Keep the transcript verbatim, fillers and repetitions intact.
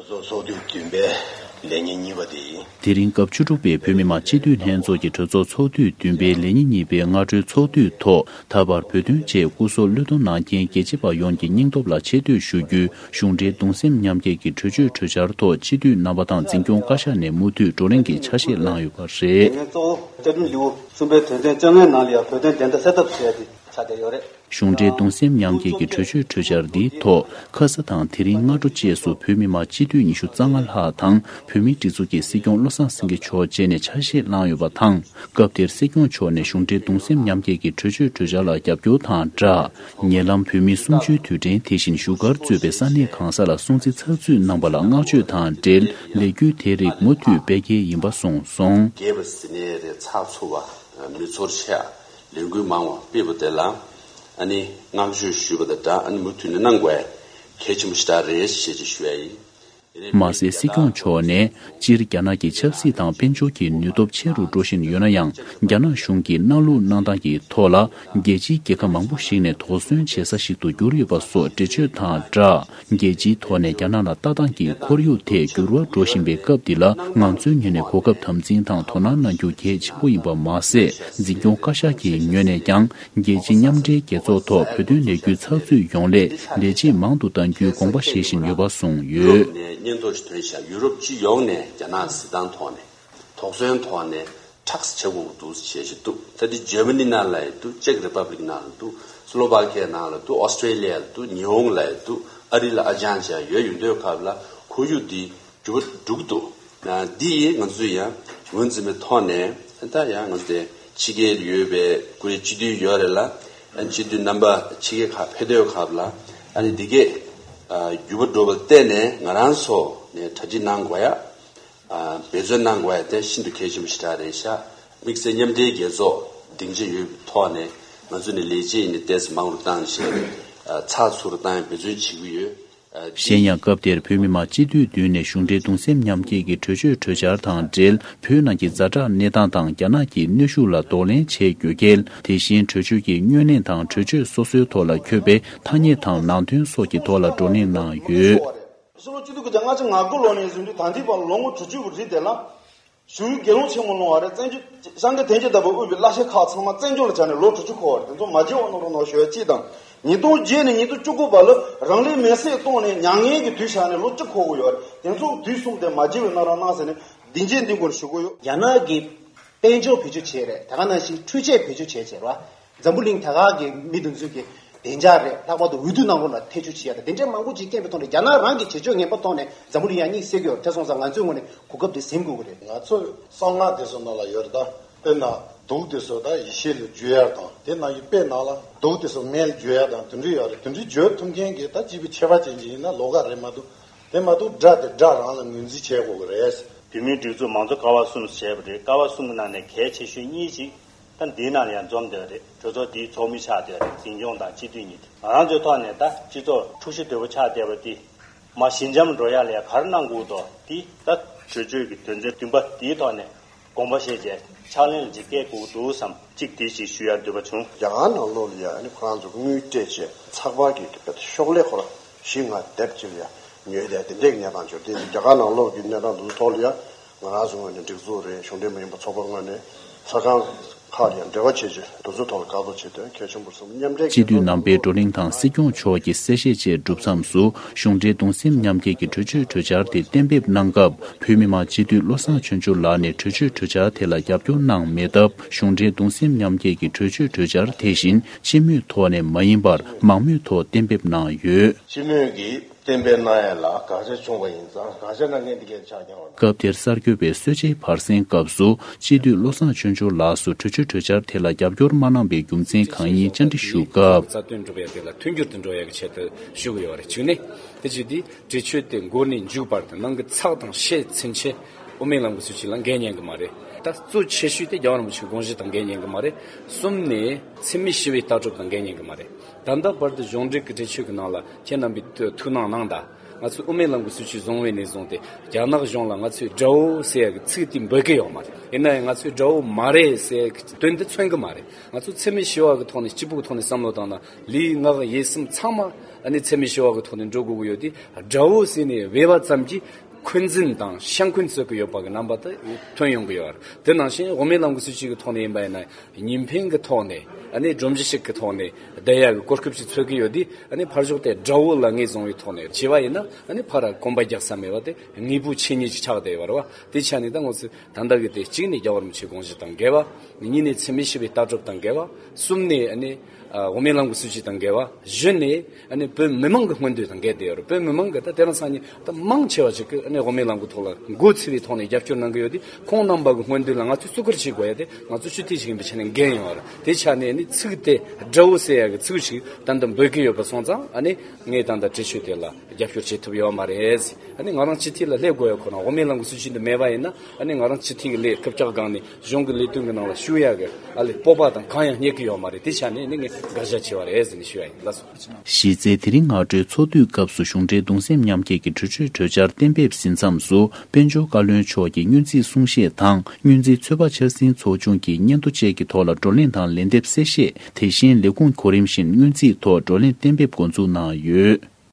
ཚོགས་ཚོགས་དུས་བདུན་པའི་ལས་ཉིན་གཉིས་པ་དེ་ཡིན། དེ་རིང་སྐབས་བཅུ་དྲུག་པའི་བོད་མི་མང་སྤྱི་འཐུས་ལྷན་ཚོགས་ཀྱི་གྲོས་ཚོགས་ཚོགས་དུས་བདུན་པའི་ལས་ཉིན་གཉིས་པའི་སྔ་དྲོའི་ཚོགས་དུས་ཐོག་ད་བར་བོད་དོན་ཆེད་སྐུ་སྲོག་བློས་གཏོང་གནང་མཁན་རྒྱལ་གཅེས་པ་ཡོངས་ཀྱི་སྙིང་སྟོབས་ལ་ཆེ་བསྟོད་ཞུ་རྒྱུའི་གཞུང་འབྲེལ་གདུང་སེམས་མཉམ་སྐྱེད་ཀྱི་གྲོས་ཆོད་གྲོས་འཆར་ཐོག་སྤྱི་འཐུས་རྣམ་པ་དང་འཛིན་སྐྱོང་བཀའ་ཤག་ནས་མུ་མཐུད་བགྲོ་གླེང་གི་ཆ་ཤས་བླངས་ཡོད་པ་རེད། ངས་གཙོ་བོ་བཅའ་ཁྲིམས་ལེའུ་གསུམ་པའི་དོན་ཚན་བཅོ་ལྔའི་ནང་ལ་ཡང་བོད་དོན་བདེན་མཐའ་གསལ་ཐབས་བྱས་ཏེ་ཆགས་བསྡད་ཡོད་རེད། གཞུང་འབྲེལ་གདུང་སེམས་མཉམ་སྐྱེད་ཀྱི་གྲོས་ཆོད་གྲོས་འཆར་འདིའི་ཐོག་ཁ་ས་དང་དེ་རིང་སྔ་དྲོ་བཅས་སུ་བོད་མི་མང་སྤྱི་འཐུས་ཉི་ཤུ་རྩ་ལྔ་ལྷག་དང་བོད་མིའི་སྒྲིག་འཛུགས་ཀྱི་སྲིད་སྐྱོང་བློ་བཟང་སེང་གེ་མཆོག་བཅས་ནས་ཆ་ཤས་བླངས་ཡོད་པ་དང་། སྐབས་དེར་སྲིད་སྐྱོང་མཆོག་ནས་གཞུང་འབྲེལ་གདུང་སེམས་མཉམ་སྐྱེད་ཀྱི་གྲོས་ཆོད་གྲོས་འཆར་ལ་རྒྱབ་སྐྱོར་དང་སྦྲགས། ཉེ་ལམ་བོད་མིའི་གསུམ་བཅུའི་དུས་དྲན་དེ་བཞིན་བཞུགས་སྒར་གཙོས་པའི་ས་གནས་གང་ས་ལ་སྲུང་བརྩི་ཚགས་ཚུད་གནང་པ་ལ་བསྔགས་བརྗོད་དང་འབྲེལ་ལས་འགུལ་དེ་རིགས་མུ་མཐུད་སྤེལ་གལ་ཡིན་པ་གསུངས་སོང་། རྒྱས་པ་ཟེར་ནའི་རེད། ཚགས་ཚུད་པ། མི་ཚོར་ཆེ་བ། ལས་འགུལ་མང་བ་སྤེལ་བ་དེ་ལ་ཨ་ནི་བསྔགས་བརྗོད་ཞུས་པ་དང་སྦྲགས། ཨ་ནི་མུ་མཐུད་ནས་གནང་དགོས་ཡ་གལ་ཆེན་པོ་ཞེ་དྲག་རེད་ཞེས་ཅིག་ཞུ་ཡ་ཡིན། མ་ཟད་སྲིད་སྐྱོང་མཆོག་ནས་སྤྱིར་རྒྱ་ནག་གི་ཆབ་སྲིད་དང་དཔལ་འབྱོར་གྱི་ནུས་སྟོབས་ཆེ་རུ་འགྲོ་བཞིན་ཡོད་ན་ཡང་། རྒྱ་ནག་གཞུང་གིས་གནའ་ལུགས་གནང་སྟངས་ཀྱི་ཐོག་ལ་རྒྱལ་སྤྱིའི་རྒྱལ་ཁབ་མང་པོ་ཞིག་ནས་དོགས་ཟོན་བྱེད་ས་ཞིག་ཏུ་གྱུར་ཡོད་པ་སོགས་འགྲེལ་བརྗོད་དང་སྦྲགས། རྒྱལ་སྤྱིའི་ཐོག་ནས་རྒྱ་ནག་ལ་ལྟ་སྟངས་ཀྱི་ཁོར་ཡུག་ཐད་འགྱུར་བ་འགྲོ་བཞིན་པའི་སྐབས་འདི་ལ་ང་ཚོའི་ངོས་ནས་གོ་སྐབས་དམ་འཛིན་དང་དོ་སྣང་གནང་རྒྱུ་གལ་ཆེན་པོ་ཡིན་པ་མ་ཟད། འཛིན་སྐྱོང་བཀའ་ཤག་གི་ངོས་ནས་ཀྱང་རྒྱལ་སྤྱིའི་མཉམ་འབྲེལ་རྒྱལ་ཚོགས་ཐོག་བོད་དོན་ལས་འགུལ་ཚགས་ཚུད་ཡོང་སླད་ལས་བྱེད་མང་དུ་གཏང་རྒྱུའི་དགོངས་པ་བཞེས་བཞིན་ཡོད་པ་གསུངས་ཡོད། ཡུ་རོབ་ནས་སྙན་ཐོ་ཞིག་ཐོན་ཤག་ཡུ་རོབ་སྤྱི་ཡོངས་ནས་རྒྱ་ནག་སྲིད་ཐོག་ནས་དོགས་ཟོན་ཐོག་ནས་ཁྲག་བྱེད་དགོས་འདུག་བྱེད་བཞིན་འདུག་ད་དེ་ཇར་མ་ནི་ནང་ལ་ཡང་འདུག་ཅེག་རི་པབ་ལིག་ནང་ལ་འདུག་སི་ལོ་ཝ་ཁི་ཡ་ནང་ལ་འདུག་ཨོ་སི་ཀྲེ་ལི་ཡ་ལ་འདུག་ཉི་ཧོང་ལ་ཡང་འདུག་ཨ་རི་ལ་ཨ་ཅང་ཅང་ཡོད། ཡོད་དུས་སྐབས་ལ་ཁོར་ཡུག་འདི་འགྱུར་བ་འགྲོ་གི་འདུག་ཨ། འདི་ཡིས་ང་ཚོས་ཡང་ངོས་འཛིན་པའི་ཐོག་ནས་ད་ཡང་ང་ཚོ་དེ་ཕྱི་རྒྱལ་ཡོད་པའི་ཁོ་རའི་སྤྱི་འཐུས་ཡོད་རེད་ལ། ཨ་ནི་སྤྱི་འཐུས་རྣམ་པ་ཕྱི་རྒྱལ་ཁག་ཕེབས་དུས་སྐབས་ལ་ཨ་ནི་འདི་གས་ཨ་འགྱུར་བ་འགྲོ་བར་བརྟེན་ནས་ང་རང་ཚོ་ནས་གྲ་སྒྲིག་གནང་དགོས་ཡ། ཨ་འབད་བརྩོན་གནང་དགོས་ཡ་དེ་ཤིན་ཏུ་གལ་ཆེན་པོ་ཞེ་དྲག་རེད་ཤག་དམིགས་བསལ་མཉམ་འབྲེལ་རྒྱལ་ཚོགས་སྡིངས་ཆ་ཡོད་པའི་ཐོག་ནས་ང་ཚོ་ནས་ལས་བྱེད་ཡིན་ནའི་ཏོག་ཙམ་མང་རུ་བཏང་བྱས་ཨ་ཚགས་ཚུད་རུ་བཏང་ཡ་འབད་བརྩོན་བྱེད་ཀྱི་ཡོད། གཞན་ཡང་སྐབས་དེར་བོད་མི་མང་སྤྱི་འཐུས་བདུན་ནས་གཞུང་འབྲེལ་གདུང་སེམས་མཉམ་སྐྱེད་ཀྱི་གྲོས་ཆོད་གྲོས་འཆར་དང་འབྲེལ་བོད་ནང་གི་ཛ་དྲག་གནས་སྟངས་དང་རྒྱ་ནག་གི་གནོན་ཤུགས་ལ་གདོང་ལེན་བྱེད་དགོས་གལ། དེ་བཞིན་གྲོས་ཆོད་ཀྱི་སྔོན་གླེང་དང་གྲོས་ཆོད་སོ་སོའི་ཐོག་ལ་འཁོད་པའི་ཐ་སྙད་དང་ནང་དོན་སོགས་ཀྱི་ཐོག་ལ་བགྲོ་གླེང་གནང་ཡོད། ཕྱི་ལོ་ཆིག་སྟོང་དགུ་བརྒྱ་ལྔ་བཅུ་ང་དགུ་ལོ་ནས་བཟུང་སྟེ་ད་ལྟའི་བར་ལོ་ངོ་དྲུག་ཅུ་བ་རིང་དེ་ལ། བཞུགས་ཡུལ་དགེ་སློང་ཆེན་མོ་ལུང་བ་རེད། བཙན་བྱོལ་སྐྱབས་མགོན་བསྟན་ཆོས་ལྟ་བུ་དབུས་པའི་བླ་ཆེན་ཁག་ཚང་མ་བཙན་བྱོལ་ལ་བྱས་ནས་ལོ་དྲུག་ཅུ་འཁོར་བ་རེད། དེ་ཚོ་མ་བརྗེད་འོང་གནང་རོགས་གནང་ཞུ་ཡ་གཅིག་དང་། ཉིས་སྟོང་བརྒྱད་ནས་ཉིས་སྟོང་བཅུ་དགུ་བར་ལ་རང་ལུས་མེར་སྲེག་བཏང་ནས་མྱ་ངན་གྱི་དུས་བཞག་ནས་ལོ་གཅིག་འཁོར་གྱི་ཡོད་རེད། དེ་ཚོ་དུས་གསུམ་དེ་མ་བརྗེད་པ་གནང་རོགས་གནང་ཟེར་ནས་འདི་འབྱེད་འདི་མགོ་ནས་ཞུ་གི་ཡོད། རྒྱ་ནག་གི་དཔལ་འབྱོར་བེད་སྤྱོད་བྱས་རེད། ད་ག་ནང་བཞིན་འཕྲུལ་ཆས་བེད་སྤྱོད་བྱས་བྱས་རེད་བ། འཛམ་བུ་གླིང་ད་ག་གི་མི་དེ་ཚོའི་གི་བདེ་འཇགས་རེད། ལྷག་པར་དུ་འོས་བསྡུ་གནང་རོགས་ལ་ཐེ་བྱུས་བྱེད་ཡ་དང་དེ་འདྲའི་མང་པོ་ཅིག་སྐད་འབོད་བཏང་ནས་རྒྱ་ནག་རང་གི་བྱེད་སྤྱོད་ངན་པ་བཏང་ནས་འཛམ་བུ་གླིང་ཡང་སྙིང་སེ་གི་ཡོད་རེད། དེ་སོང་ཙང་ང་ཚོའི་ངོས་ནས་གོ་སྐབས་དེ་ཟིན་དགོས་ཀྱི་རེད། ང་ཚོ་གསང་སྔགས་དེ་ཚོ་ནང་ལ་ཡོད་རེད་ད། དཔེར་ན་དུག་དེ་ཚོ་ད་ཡེ་ཤེས་ལ་བརྗོད་ཡ་དང་དེ་ནང་གི་དཔེ་ནང་ལ་དུག་དེ་ཚོ་མེ་ལ་བརྗོད་ཡ་དང་དེ་འདྲ་ཡོད་རེད། དེ་འདྲ་བརྗོད་ཐུབ་མཁན་གྱི་ད་སྤྱི་པའི་ཆོས་པ་ཅན་ཅིག་ཡིན་ན་ལོགས་ཀ་རེད་མ་གཏོགས། དེ་མ་གཏོགས་དགྲ་དེ་དགྲ་རང་ལ་ངོས་འཛིན་བྱེད་དགོས་ཀྱི་རེད། བོད་མིའི་སྒྲིག་འཛུགས་མང་གཙོ་ཀ་བ་གསུམ་ཞེས་པ་རེད། ཀ་བ་གསུམ་གྱི་ནང་ནས་གལ་ཆེ་ཤོས་གཉིས་ཤིག་ད་འདིའི་ནང་ལ་ཡང་འཛོམས་བསྡད་པ་རེད། གྲོས་ཚོགས་འདིའི་ཚོགས་མི་ཆགས་བསྡད་པ་རེད། འཛིན་སྐྱོང་དང་སྤྱི་འཐུས་གཉིས་དེ། ང་རང་ཚོའི་ཐོག་ནས་ད་སྤྱི་ཚོགས་འཁྲུག་གཞི་དོད་པོ་ཆགས་བསྡད་པ་འདི་མར་ཞི་འཇམ་འགྲོ་ཡ་ལ་ཡ་ག་རེ་གནང་དགོས་འདུག་འདི་ད་གྲོས་ཆོད་ཀྱི་དོན་ཚན་བདུན་པ་འདིའི་ཐོག་ནས་དགོངས་པ་བཞེས་བྱས་ཕྱག་ལེན་ལ་ཅིག་བསྐྱལ་དགོས་འདུག་བསམ། གཅིག་དེ་ཞིག་ཞུ་ཡ་འདོད་པ་བྱུང་། རྒྱ་གར་ནང་ལོགས་ལ་ཡ་ཨ་ནི་ཁོ་རང་ཚོ་དངུལ་སྤྲད་བྱས་ཚགས་པར་གྱི་དཔེ་ཤོག་ལྷེ་ཁོ་རང་བཞི་ལྔ་དེབ་ཅིག་ལ་ཡ་ཉོས་ཏེ་དེ་འདྲའི་གནས་སྟངས་བྱུང་། དེ་རྒྱ་གར་ནང་ལོགས་ཀྱི་གནས་སྟངས་འདི་ཚོ་ཐོག་ལ་ཡ་ང་རང་ཚོ་ངོས་ནས་སྒྲིག་འཛུགས་རེད། གཞུང་འབྲེལ་མ་ཡིན་པ་ཚོགས་པ་ངོས་ནས་ས་ཁང་ཁག་ལ་ཡ་འབྲེལ་བ་བྱེད་ཆེད་དེ་ཚོ་ཐོག་ལ་བཀག་འགོག་བྱེད་དོན་གལ་ཆེན་པོ་རེད་བསམ། མཉམ་འབྲེལ་སྤྱི་འཐུས་རྣམ་པའི་བགྲོ་གླེང་དང་སྲིད་སྐྱོང་མཆོག་གི་གསལ་བཤད་བཅས་གྲུབ་མཚམས་སུ། གཞུང་འབྲེལ་གདུང་སེམས་མཉམ་སྐྱེད་ཀྱི་གྲོས་ཆོད་གྲོས་འཆར་དེ་གཏན་འབེབས་གནང་སྐབས། བོད་མི་མང་སྤྱི་འཐུས་བློ་བཟང་ཆོས་འབྱོར་ལགས་ནས་གྲོས་ཆོད་གྲོས་འཆར་དེ་ལ་རྒྱབ་སྐྱོར་གནང་མེད་སྟབས། གཞུང་འབྲེལ་གདུང་སེམས་མཉམ་སྐྱེད་ཀྱི་གྲོས་ཆོད་གྲོས་འཆར་དེ་བཞིན་སྤྱི་མོས་ཐོག་ནས་མ་ཡིན་པར་མང་མོས་ཐོག་གཏན་འབེབས་གནང་ཡོད། སྤྱི་མོས་ཀྱིས་གཏན་འབེབས་གནང་ཡ་ལ་དགག་བྱ་བྱུང་བ་ཡིན་ཙང་། དགག་བྱ་གནང་མཁན་དེ་གས་ཆགས་ཀྱང་བ། སྐབས་དེར་གསར་འགོད་པས་གསོལ་ཇའི་བར་གསེང་སྐབས་སུ་སྤྱི་འཐུས་བློ་བཟང་ཆོས་འབྱོར་ལགས་སུ་གྲོས་ཆོད་གྲོས་འཆར་དེ་ལ་རྒྱབ་སྐྱོར་མ་གནང་པའི་རྒྱུ་མཚན་གང་ཡིན་བཅར་འདྲི་ཞུ་སྐབས། རྩ་དོན་སྒྲུབ་ཡ་དེ་ལ་མཐུན་འགྱུར་དུ་འགྲོ་ཡ་གི་ཆེད་དུ་ཞུ་གི་ཡོད་རེད། གཅིག་ནས་དེ་བཞིན་དེ་གྲོས་ཆོད་དེ་འགོ་ནས་མཇུག་བར་དུ་ནང་གི་ཚགས་དང་ཤད་ཚུན་ཆད་དབུ་མའི་ལམ་གྱི་སྲིད་བྱུས་ལ་འགལ་ཉན་གི་མ་རེད། ད་གཙོ་ཆེ་ཤོས་དེ་རྒྱལ་བ་རིན་པོ་ཆེའི་དགོངས་གཞི་དང་འགལ་ཉན་གི་མ་རེད། གསུམ་ནས་འཚེ་མེད་ཞི་བའི་ལྟ་གྲུབ་དང་འགལ་ཉན་གི་མ་རེད། ད་ལྟ་བར་དུ་གཞུང་འབྲེལ་གྱི་གྲོས་ཆོད་ཀྱི་ནང་ལ་ཁྱེད་རྣམ་པས་ཐུགས་སྣང་གནང་དང་། ང་ཚོས་དབུ་མའི་ལམ་གྱི་སྲིད་བྱུས་བཟུང་བའི་ནས་བཟུང་སྟེ་རྒྱ་ནག་གཞུང་ལ་ང་ཚོས་དགྲ་བོ་ཟེར་ཡ་གི་ཚིག་དེ་འབོད་ཀྱི་ཡོད་མ་རེད། ཡིན་ན་ཡང་ང་ཚོས་དགྲ་བོ་མ་རེད་ཟེར་ཡ་གི་དོན་དེ་མཚོན་གྱི་མ་རེད། ང་ཚོ་འཚེ་མེད་ཞི་བ་གི་ཐོག་ནས་སྐྱིད་པོ་གི་ཐོག་ནས་བསམ་བློ་བཏང་ན་ལུས་ངག་ཡིད་གསུམ་ཚང་མ་ ཨ་ནི་འཚེ་མེད་ཞི་བ་གི་ཐོག་ནས་འགྲོ་དགོས་ཀྱི་ཡོད་དེ། དགྲ་བོ་ཟེར་ནས་བོས་པ་ཙམ་གྱིས་འཁོན་འཛིན་དང་ཤ་འཁོན་རྩོད་ཀྱི་ཡོད་པ་གི་རྣམ་པ་དེ་ཐོན་ཡོང་གི་ཡོད་རེད། དེ་ནང་བཞིན་དབུ་མའི་ལམ་གྱི་སྲིད་བྱུས་ཀྱི་ཐོག་ནས་ཡིན་པ་ཡིན་ན། གཉིས་ཕན་གྱི་ཐོག་ནས། ཨ་ནི་སྒྲོམ་གཞི་ཞིག་གི་ཐོག་ནས་བསྡད་ཡག་གི་གོ་སྐབས་ཤིག་འཚོལ་གྱི་ཡོད་དེ། ཨ་ནི་ཕར་ཕྱོགས་དེ་དགྲ་བོ་ལ་ངོས་བཟུང་བའི་ཐོག་ནས་བྱས་པ་ཡིན་ན། ཨ་ནི་ཕར་གོམ་པ་རྒྱག་ས་མེད་པ་དེ་དངོས་པོ་ཆོས་ཉིད་ཅིག་ཆགས་བསྡད་ཡོད་རེད་བ། དེ་ཆ་ནས་ད་ང་ཚོས་ད་ལྟ་གི་དེ། གཅིག་ནས་རྒྱལ་བ་རིན་པོ་ཆེའི་དགོངས་གཞི་དང་འགལ་བ། གཉིས་ནས་འཚེ་མེད་ཞི་བའི་ལྟ་གྲུབ་དང་འགལ་བ། གསུམ་ནས་ཨ་ནི་ཨ་དབུ་མའི་ལམ་གྱི་སྲིད་བྱུས་དང་འགལ་བ། བཞི་ནས་ཨ་ནི་བོད་མི་མང་གི་མངོན་འདོད་དང་འགལ་བསྡད་ཡོད་རེད། བོད་མི་མང་གི་ད་དེ་རིང་སང་ཉིན་ད་མང་ཆེ་བ་ཞིག་གིས་ཨ་ནི་དབུ་མའི་ལམ་གྱི་ཐོག་ལ་མགོ་ཚོས་པའི་ཐོག་ནས་རྒྱབ་སྐྱོར་གནང་གི་ཡོད་དེ། ཁོང་རྣམ་པ་གི་མངོན་འདོད་ལ་ང་ཚོས་བརྩི་བཀུར་བྱེད་དགོས་ཡ་དེ་ང་ཚོ་སྤྱི་འཐུས་ཤིག་ཡིན་པའི་ཆ་ནས་འགན་ཡོད་རེད། དེ་ཆ་ནས་ཨ་ནི་ཚིག་དེ་དགྲ་བོ་ཟེར་ཡ་གི་ཚིག་ཞིག་ད་ལྟ་འབོད་ཀྱི་ཡོད་པ་སོང་ཙང་། ཨ་ནི་ངས་ད་ལྟ་གྲོས་ཆོད་དེ་ལ་རྒྱབ་སྐྱོར་བྱེད་ཐུབ་ཡོད་མ་རེད། ཨ་ནི་ང་རང་སྤྱི་འཐུས་ལ་སླེབས་དགོས་ཡ་ཁོ་ན། དབུ་མའི་ལམ་གྱི་སྲིད་བྱུས་འདི་མེད་པ་ཡིན་ན། ཨ་ནི་ང་རང་སྤྱི་འཐུས་ཀྱི་ལས་རྐུབ་བཀྱག་སྒང་ནས་གཞུང་གི་ལས་དོན་གྱི་ནང་ལ་ཞུགས་ཡ་གི་ཨ་ལས་སྤོབས་པ་དང་གང་ཡང་རྙེད་ཀྱི་ཡོད་མ་རེད། དེ་ཆ་ནས་ནི་ངས་དགག་བཞག་བྱས་པ་རེད་ཟེར་ནས་ཞུ་ཡ་ཡིན། ལགས་སོ། གཞི་རྩའི་དེ་རིང་སྔ་དྲོའི་ཚོགས་དུས་སྐབས་སུ་གཞུང་འབྲེལ་གདུང་སེམས་མཉམ་སྐྱེད་ཀྱི་གྲོས་ཆོད་གྲོས་འཆར་གཏན་འབེབས་ཟིན་མཚམས་སུ། དཔལ་འབྱོར་བཀའ་བློན་མཆོག་གིས་སྔོན་རྩིས་གསུང་བཤད་དང་། སྔོན་རྩིས་ཚོད་དཔག་འཆར་ཟིན་ཚོགས་ཆུང་གི་སྙན་ཐོ་བཅས་ཀྱི་ཐོག་ལ་བགྲོ་གླེང་དང་ལན་འདེབས་གསལ་བཤད། དེ་བཞིན་ལས་ཁུངས་གོ་རིམ་བཞིན་སྔོན་རྩིས་ཐོག་བགྲོ་གླེང་གཏན་འབེབས་འགོ་འཛུགས་གནང་ཡོད།